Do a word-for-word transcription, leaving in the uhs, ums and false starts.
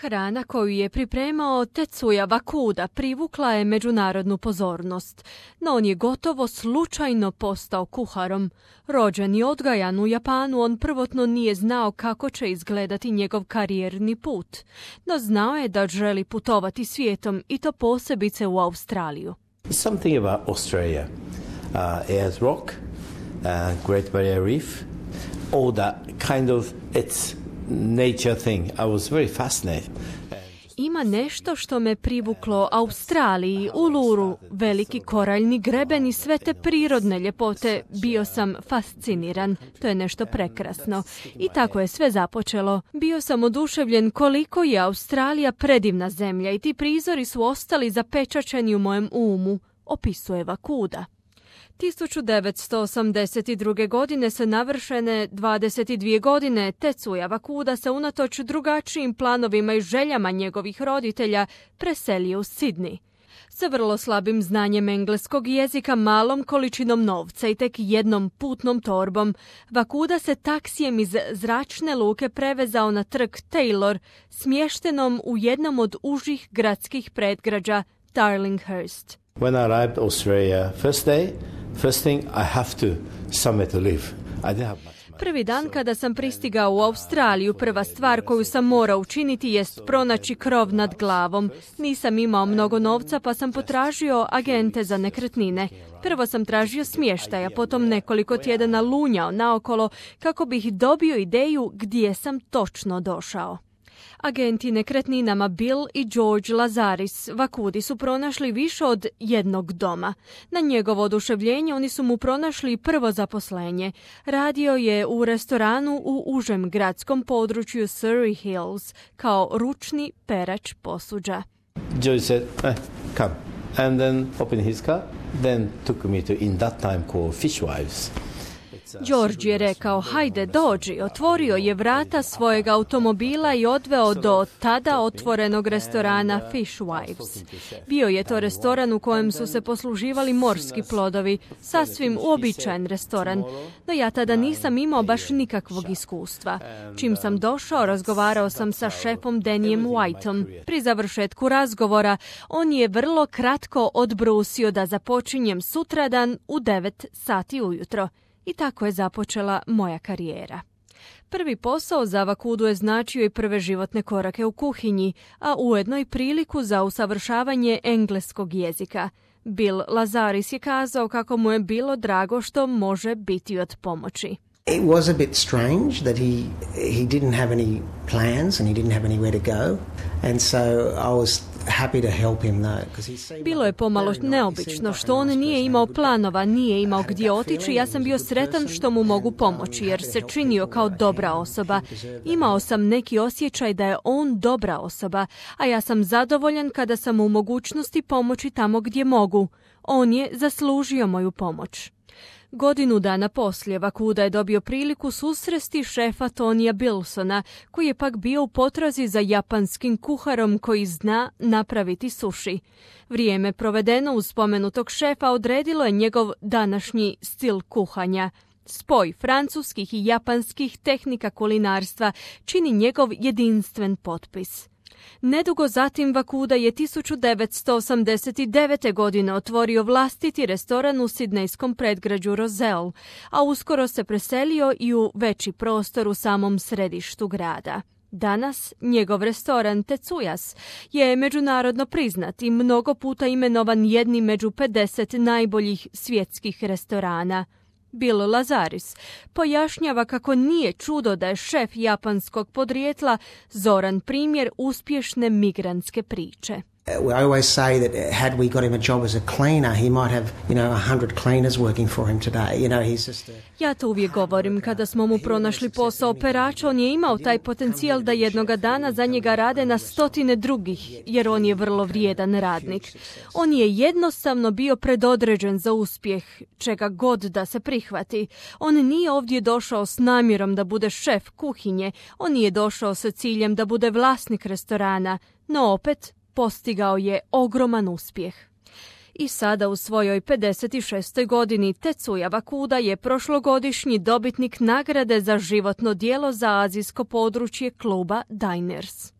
Hrana koju je pripremao Tetsuya Wakuda privukla je međunarodnu pozornost, no on je gotovo slučajno postao kuharom. Rođen i odgajan u Japanu, on prvotno nije znao kako će izgledati njegov karijerni put, no znao je da želi putovati svijetom i to posebice u Australiju. Something about Australia, uh, Ayers Rock, uh, Great Barrier Reef, all that kind of it's nature thing. I was very fascinated. Ima nešto što me privuklo Australiji, Uluru, veliki koraljni greben i sve te prirodne ljepote. Bio sam fasciniran. To je nešto prekrasno. I tako je sve započelo. Bio sam oduševljen koliko je Australija predivna zemlja i ti prizori su ostali zapečaćeni u mojem umu, opisuje Wakuda. tisuću devetsto osamdeset druge. godine se navršene dvadeset dvije godine Tetsuya Wakuda se unatoč drugačijim planovima i željama njegovih roditelja preselio u Sidney. Sa vrlo slabim znanjem engleskog jezika, malom količinom novca i tek jednom putnom torbom, Wakuda se taksijem iz zračne luke prevezao na trg Taylor, smještenom u jednom od užih gradskih predgrađa Darlinghurst. When I arrived Australia first day, first thing I have to somewhere to live. I didn't have much money. Prvi dan kada sam pristigao u Australiju, prva stvar koju sam morao učiniti jest pronaći krov nad glavom. Nisam imao mnogo novca pa sam potražio agente za nekretnine. Prvo sam tražio smještaja, potom nekoliko tjedana lunjao naokolo kako bih dobio ideju gdje sam točno došao. Agenti nekretninama Bill i George Lazaris Wakudi su pronašli više od jednog doma. Na njegovo oduševljenje oni su mu pronašli prvo zaposlenje. Radio je u restoranu u užem gradskom području Surrey Hills kao ručni perač posuđa. George said, eh, come. And then opened his car, then took me to in that time called Fishwives. George je rekao, hajde dođi, otvorio je vrata svojeg automobila i odveo do tada otvorenog restorana Fishwives. Bio je to restoran u kojem su se posluživali morski plodovi, sasvim uobičajen restoran, no ja tada nisam imao baš nikakvog iskustva. Čim sam došao, razgovarao sam sa šefom Danijem Whiteom. Pri završetku razgovora, on je vrlo kratko odbrusio da započinjem sutradan u devet sati ujutro. I tako je započela moja karijera. Prvi posao za Wakudu je značio i prve životne korake u kuhinji, a ujedno i priliku za usavršavanje engleskog jezika. Bill Lazaris je kazao kako mu je bilo drago što može biti od pomoći. It was a bit strange that he he didn't have any plans and he didn't have anywhere to go, and so I was happy to help him though, because he seemed. Bilo je pomalo neobično što on nije imao planova, nije imao gdje otići. Ja sam bio sretan što mu mogu pomoći jer se činio kao dobra osoba. Imao sam neki osjećaj da je on dobra osoba, a ja sam zadovoljan kada sam u mogućnosti pomoći tamo gdje mogu. On je zaslužio moju pomoć. Godinu dana poslije Wakuda je dobio priliku susresti šefa Tonija Bilsona, koji je pak bio u potrazi za japanskim kuharom koji zna napraviti suši. Vrijeme provedeno uz spomenutog šefa odredilo je njegov današnji stil kuhanja. Spoj francuskih i japanskih tehnika kulinarstva čini njegov jedinstven potpis. Nedugo zatim Wakuda je tisuću devetsto osamdeset devete. godine otvorio vlastiti restoran u sidnejskom predgrađu Rozelle, a uskoro se preselio i u veći prostor u samom središtu grada. Danas njegov restoran Tetsuyas je međunarodno priznat i mnogo puta imenovan jednim među pedeset najboljih svjetskih restorana. Bill Lazaris pojašnjava kako nije čudo da je šef japanskog podrijetla zoran primjer uspješne migrantske priče. I always say that had we got him a job as a cleaner, he might have, you know, a hundred cleaners working for him today. You know, he's just a... Ja to uvijek govorim. Kada smo mu pronašli posao perača, on je imao taj potencijal da jednoga dana za njega rade na stotine drugih, jer on je vrlo vrijedan radnik. On je jednostavno bio predodređen za uspjeh, čega god da se prihvati. On nije ovdje došao s namjerom da bude šef kuhinje, on nije došao sa ciljem da bude vlasnik restorana, no opet postigao je ogroman uspjeh. I sada u svojoj pedeset šestoj. godini Tetsuya Wakuda je prošlogodišnji dobitnik nagrade za životno djelo za azijsko područje kluba Diners.